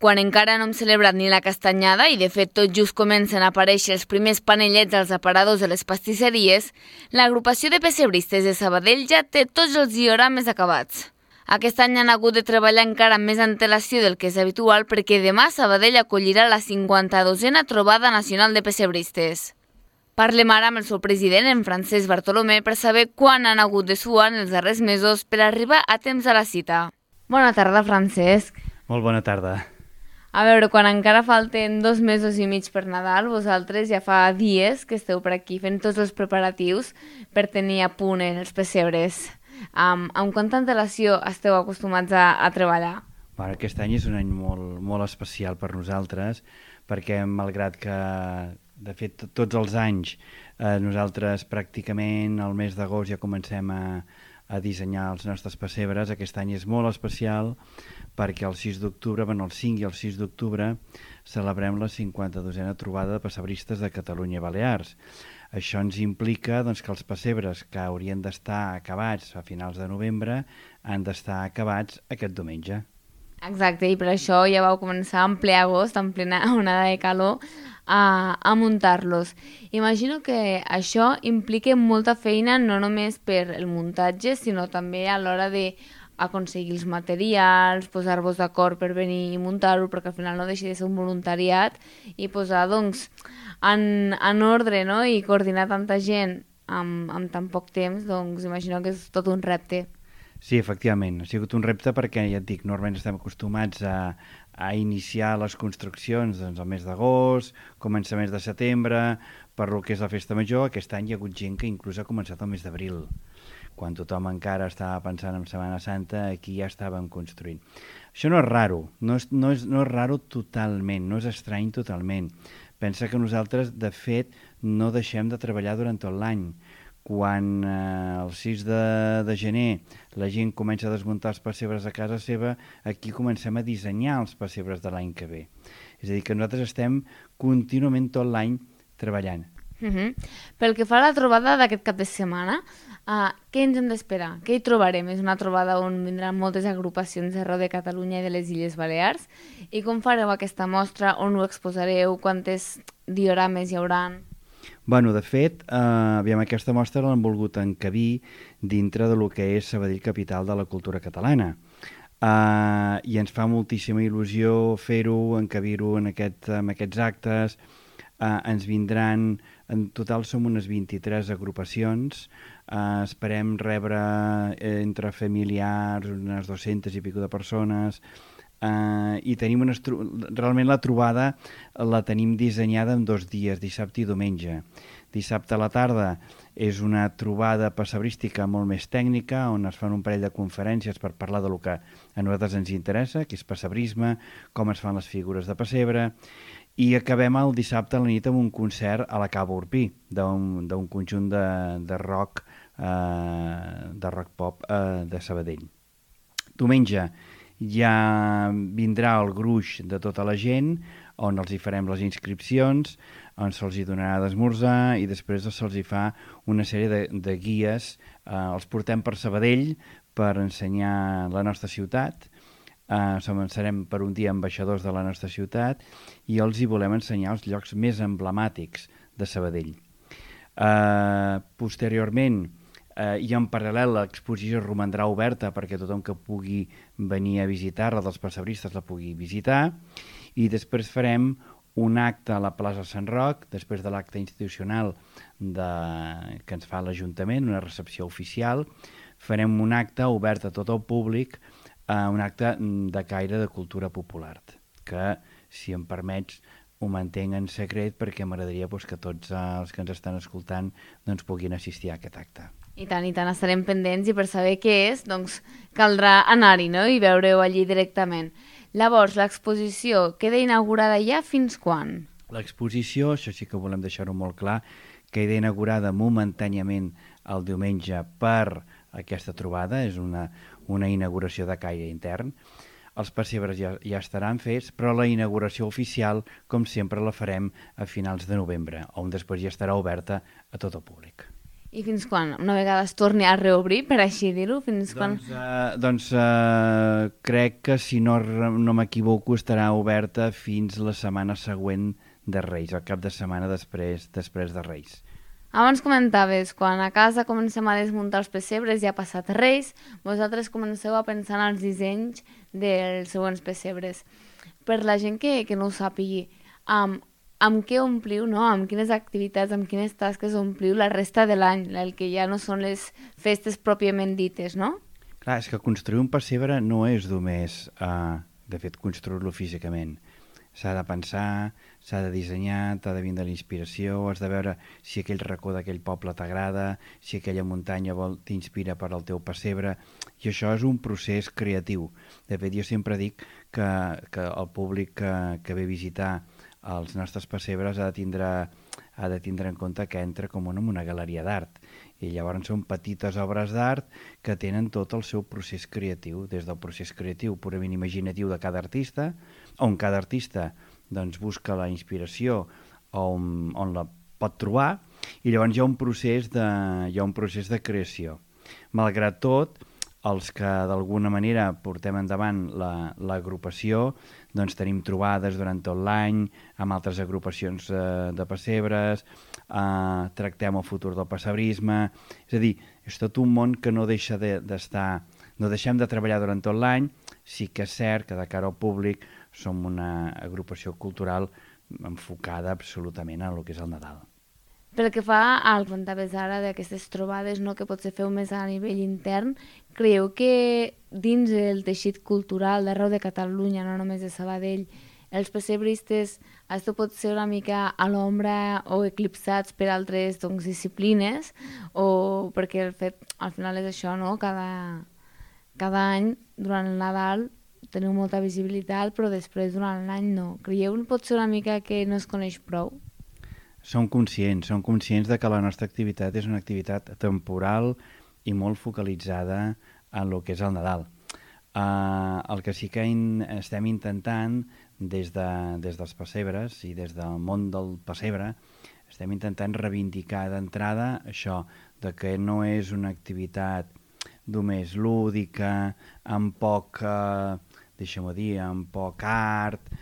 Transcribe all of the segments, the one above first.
Quan encara no hem celebrat ni la castanyada i de fet tot just comencen a aparèixer els primers panellets als aparadors de les pastisseries, l'agrupació de pessebristes de Sabadell ja té tots els diorames acabats. Aquest any han hagut de treballar encara amb més antelació del que és habitual perquè demà Sabadell acollirà la 52a trobada nacional de pessebristes. Parlem ara amb el seu president, en Francesc Bartolomé, per saber quan han hagut de suar en els darrers mesos per arribar a temps a la cita. Bona tarda, Francesc. Molt bona tarda. A veure, quan encara falten 2 mesos i mig per Nadal, vosaltres ja fa dies que esteu per aquí fent tots els preparatius per tenir a punt els pessebres. Amb quanta antelació esteu acostumats a treballar? Bueno, aquest any és un any molt especial per nosaltres, perquè malgrat que, de fet, tots els anys nosaltres pràcticament al mes d'agost ja comencem a dissenyar els nostres pessebres, aquest any és molt especial perquè el 6 d'octubre, el 5 i el 6 d'octubre, celebrem la 52a trobada de pessebristes de Catalunya i Balears. Això ens implica que els pessebres que haurien d'estar acabats a finals de novembre han d'estar acabats aquest diumenge. Exacte, i per això ja vau començar en ple agost, en plena onada de calor, a muntar-los. Imagino que això implica molta feina no només per el muntatge, sinó també a l'hora de aconseguir els materials, posar-vos d'acord per venir i muntar-ho, perquè al final no deixa de ser un voluntariat, i posar en ordre, no? I coordinar tanta gent amb tan poc temps, imagino que és tot un repte. Sí, efectivament, ha sigut un repte perquè, ja et dic, normalment estem acostumats a iniciar les construccions al mes d'agost, començaments de setembre, per lo que és la festa major. Aquest any hi ha hagut gent que inclús ha començat el mes d'abril. Quan tothom encara estava pensant en Setmana Santa, aquí ja estàvem construint. Això no és raro, no és raro totalment, no és estrany totalment. Pensa que nosaltres, de fet, no deixem de treballar durant tot l'any. Quan el 6 de gener la gent comença a desmuntar els pessebres a casa seva, aquí comencem a dissenyar els pessebres de l'any que ve. És a dir, que nosaltres estem contínuament tot l'any treballant. Pel que fa a la trobada d'aquest cap de setmana, què ens hem d'esperar? Què hi trobarem? És una trobada on vindran moltes agrupacions d'arreu de Catalunya i de les Illes Balears. I com fareu aquesta mostra? On ho exposareu? Quantes diorames hi haurà? Bueno, de fet, aquesta mostra l'hem volgut encabir dintre de lo que és Sabadell, capital de la cultura catalana. I ens fa moltíssima il·lusió fer-ho, encabir-ho en aquests actes. Ens vindran, en total som unes 23 agrupacions, esperem rebre entre familiars unes 200 i pico de persones, i tenim realment la trobada la tenim dissenyada en 2 dies, dissabte i diumenge. Dissabte a la tarda és una trobada pessebrística molt més tècnica, on es fan un parell de conferències per parlar del que a nosaltres ens interessa, que és pessebrisme, com es fan les figures de pessebre, i acabem el dissabte a la nit amb un concert a la Cava Urpí, d'un conjunt de rock pop de Sabadell. Diumenge ja vindrà el gruix de tota la gent, on els hi farem les inscripcions, on se'ls hi donarà d'esmorzar i després se'ls hi fa una sèrie de guies. Els portem per Sabadell per ensenyar la nostra ciutat. Serem per un dia ambaixadors de la nostra ciutat i els hi volem ensenyar els llocs més emblemàtics de Sabadell. Posteriorment, i en paral·lel l'exposició romandrà oberta perquè tothom que pugui venir a visitar-la, dels pessebristes, la pugui visitar, i després farem un acte a la plaça Sant Roc, després de l'acte institucional que ens fa l'Ajuntament, una recepció oficial. Farem un acte obert a tot el públic, un acte de caire de cultura popular, que, si em permets, ho mantenc en secret perquè m'agradaria que tots els que ens estan escoltant puguin assistir a aquest acte. I tant, estarem pendents, i per saber què és, caldrà anar-hi, no? I veure-ho allí directament. Llavors, l'exposició queda inaugurada ja fins quan? L'exposició, això sí que volem deixar-ho molt clar, queda inaugurada momentàniament el diumenge per aquesta trobada, és una inauguració de caire intern. Els pessebres ja estaran fets, però la inauguració oficial, com sempre, la farem a finals de novembre, on després ja estarà oberta a tot el públic. I fins quan? Una vegada es torni a reobrir, per així dir-ho? Crec que, si no m'equivoco, estarà oberta fins la setmana següent de Reis, el cap de setmana després de Reis. Abans comentaves, quan a casa comencem a desmuntar els pessebres, ja ha passat Reis, vosaltres comenceu a pensar en els dissenys dels següents pessebres. Per la gent que no ho sàpigui, amb què ompliu, no? Amb quines activitats, amb quines tasques ompliu la resta de l'any, el que ja no són les festes pròpiament dites, no? Clar, és que construir un pessebre no és només, de fet, construir-lo físicament. S'ha de pensar, s'ha de dissenyar, t'ha de vindre la inspiració, has de veure si aquell racó d'aquell poble t'agrada, si aquella muntanya t'inspira per al teu pessebre, i això és un procés creatiu. De fet, jo sempre dic que el públic que ve a visitar els nostres pessebres ha de tindre en compte que entra com en una galeria d'art. I llavors són petites obres d'art que tenen tot el seu procés creatiu, des del procés creatiu purament imaginatiu de cada artista, on cada artista doncs, busca la inspiració on la pot trobar, i llavors hi ha un procés de creació. Malgrat tot, els que d'alguna manera portem endavant l'agrupació, doncs tenim trobades durant tot l'any amb altres agrupacions de pessebres, tractem el futur del pessebrisme, és a dir, és tot un món que no deixa d'estar, no deixem de treballar durant tot l'any. Sí que és cert que de cara al públic som una agrupació cultural enfocada absolutament a el que és el Nadal. Pel que fa al que comentaves ara d'aquestes trobades, no, que potser feu més a nivell intern, creieu que dins el teixit cultural d'arreu de Catalunya, no només de Sabadell, els pessebristes esteu pot ser una mica a l'ombra o eclipsats per altres disciplines, o perquè el fet, al final és això, no? Cada any, durant el Nadal, teniu molta visibilitat, però després durant l'any no. Creieu pot ser una mica que no es coneix prou? Som conscients de que la nostra activitat és una activitat temporal i molt focalitzada en el que és el Nadal. El que sí que estem intentant des dels pessebres i des del món del pessebre, estem intentant reivindicar d'entrada això, de que no és una activitat només lúdica, amb poc, deixa'm-ho dir, amb poc art.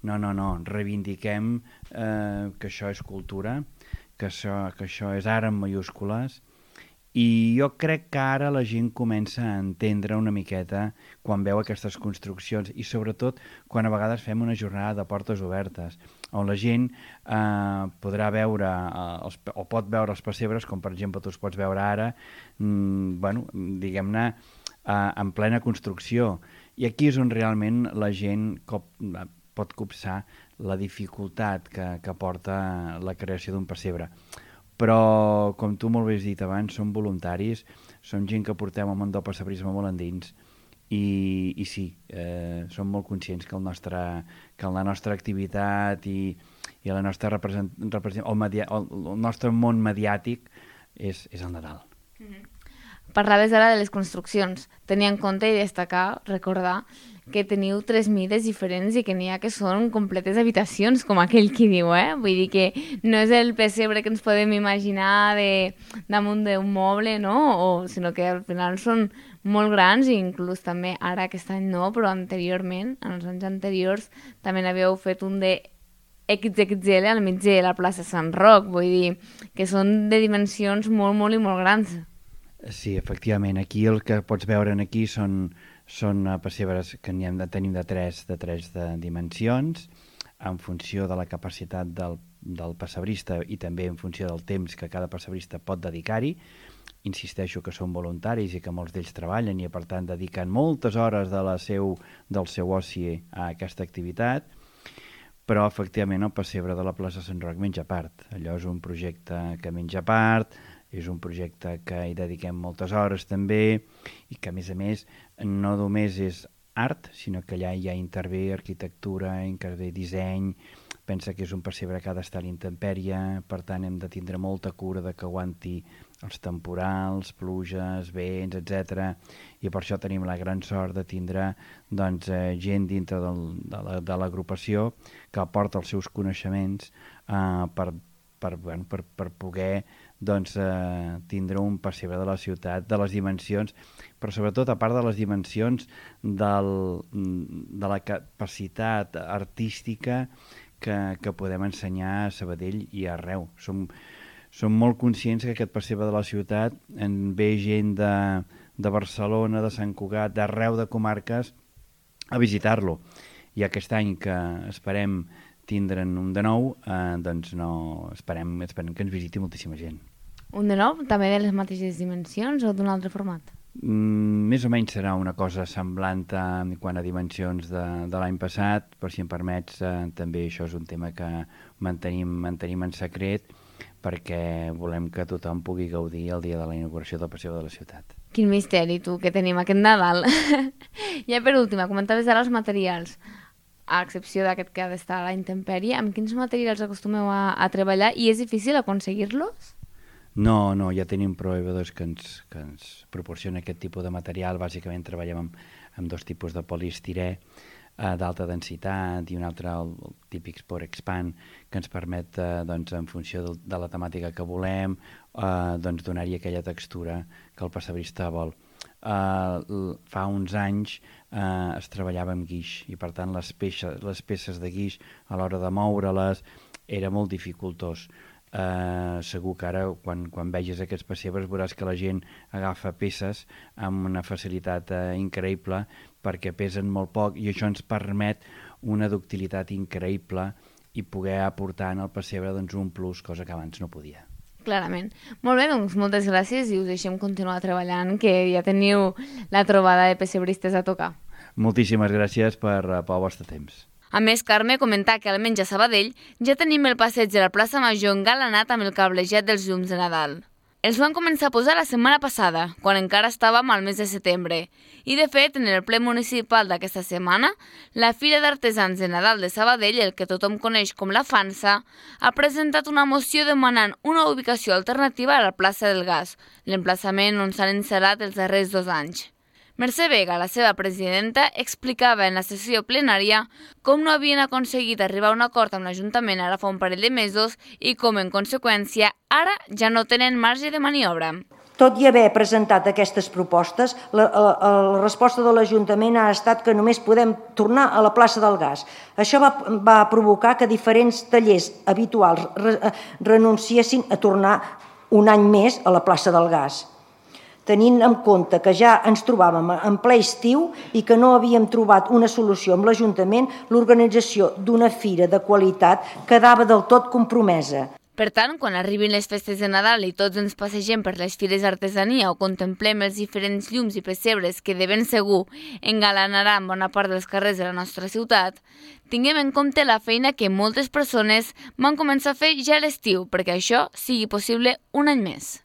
No, reivindiquem que això és cultura, que això és art en majúscules, i jo crec que ara la gent comença a entendre una miqueta quan veu aquestes construccions, i sobretot quan a vegades fem una jornada de portes obertes, on la gent podrà veure o pot veure els pessebres, com per exemple tu els pots veure ara, diguem-ne, en plena construcció. I aquí és on realment la gent pot copsar la dificultat que porta la creació d'un pessebre. Però, com tu molt bé has dit abans, som voluntaris, som gent que portem el món del pessebrisme molt endins, i sí, som molt conscients que la nostra activitat i la nostra el nostre món mediàtic és el Nadal. Parlaves ara de les construccions. Tenir en compte i destacar, recordar, que teniu 3 mides diferents i que n'hi ha que són completes habitacions, com aquell qui diu, Vull dir que no és el pessebre que ens podem imaginar damunt d'un moble, no? Sinó que al final són molt grans, i inclús també ara aquest any no, però anteriorment, en els anys anteriors, també n'havíeu fet un de XXL al mig de la plaça Sant Roc, vull dir que són de dimensions molt, molt i molt grans. Sí, efectivament, aquí el que pots veure aquí són pessebres que tenim de tres dimensions, en funció de la capacitat del pessebrista i també en funció del temps que cada pessebrista pot dedicar-hi. Insisteixo que són voluntaris i que molts d'ells treballen i per tant dediquen moltes hores del seu oci a aquesta activitat, però efectivament el pessebre de la plaça Sant Roc menja part. Allò és un projecte que menja part, és un projecte que hi dediquem moltes hores també, i que a més no només és art, sinó que allà ja intervé arquitectura, intervé disseny. Pensa que és un pessebre que ha d'estar a la intempèrie, per tant hem de tindre molta cura de que aguanti els temporals, pluges, vents, etc. I per això tenim la gran sort de tindre gent dintre de l'agrupació que aporta els seus coneixements per poder doncs, tindre un pessebre de la ciutat de les dimensions, però sobretot a part de les dimensions de la capacitat artística que podem ensenyar a Sabadell i arreu. Som molt conscients que aquest pessebre de la ciutat en ve gent de Barcelona, de Sant Cugat, d'arreu de comarques a visitar-lo. I aquest any que esperem tindre'n un de nou, doncs esperem que ens visiti moltíssima gent. Un de nou, també de les mateixes dimensions o d'un altre format? Més o menys serà una cosa semblant quant a dimensions de l'any passat, però si em permets, també això és un tema que mantenim en secret, perquè volem que tothom pugui gaudir el dia de la inauguració del Passeig de la Ciutat. Quin misteri, tu, que tenim aquest Nadal. Ja per últim, comentaves ara els materials. A excepció d'aquest que ha d'estar a la intempèrie, amb quins materials acostumeu a treballar i és difícil aconseguir-los? No, ja tenim proveïdors que ens proporcionen aquest tipus de material. Bàsicament treballem amb dos tipus de poliestirè d'alta densitat i un altre, el típic Sport Expand, que ens permet, en funció de la temàtica que volem, donar-hi aquella textura que el pessebrista vol. Fa uns anys es treballava amb guix i per tant les peces de guix a l'hora de moure-les era molt dificultós. Segur que ara quan vegis aquests pessebres veuràs que la gent agafa peces amb una facilitat increïble perquè pesen molt poc i això ens permet una ductilitat increïble i poder aportar en el pessebre un plus, cosa que abans no podia. Clarament. Molt bé, doncs moltes gràcies i us deixem continuar treballant, que ja teniu la trobada de pessebristes a tocar. Moltíssimes gràcies pel vostre temps. A més, Carme comenta que almenys a Sabadell ja tenim el passeig de la plaça Major engalanat amb el cablejat dels llums de Nadal. Els van començar a posar la setmana passada, quan encara estàvem al mes de setembre. I de fet, en el ple municipal d'aquesta setmana, la Fira d'Artesans de Nadal de Sabadell, el que tothom coneix com la Fansa, ha presentat una moció demanant una ubicació alternativa a la plaça del Gas, l'emplaçament on s'han instal·lat els darrers 2 anys. Mercè Vega, la seva presidenta, explicava en la sessió plenària com no havien aconseguit arribar a un acord amb l'Ajuntament ara fa un parell de mesos i com, en conseqüència, ara ja no tenen marge de maniobra. Tot i haver presentat aquestes propostes, la resposta de l'Ajuntament ha estat que només podem tornar a la plaça del Gas. Això va provocar que diferents tallers habituals renunciessin a tornar un any més a la plaça del Gas. Tenint en compte que ja ens trobàvem en ple estiu i que no havíem trobat una solució amb l'Ajuntament, l'organització d'una fira de qualitat quedava del tot compromesa. Per tant, quan arribin les festes de Nadal i tots ens passegem per les fires d'artesania o contemplem els diferents llums i pessebres que de ben segur engalanaran bona part dels carrers de la nostra ciutat, tinguem en compte la feina que moltes persones van començar a fer ja a l'estiu perquè això sigui possible un any més.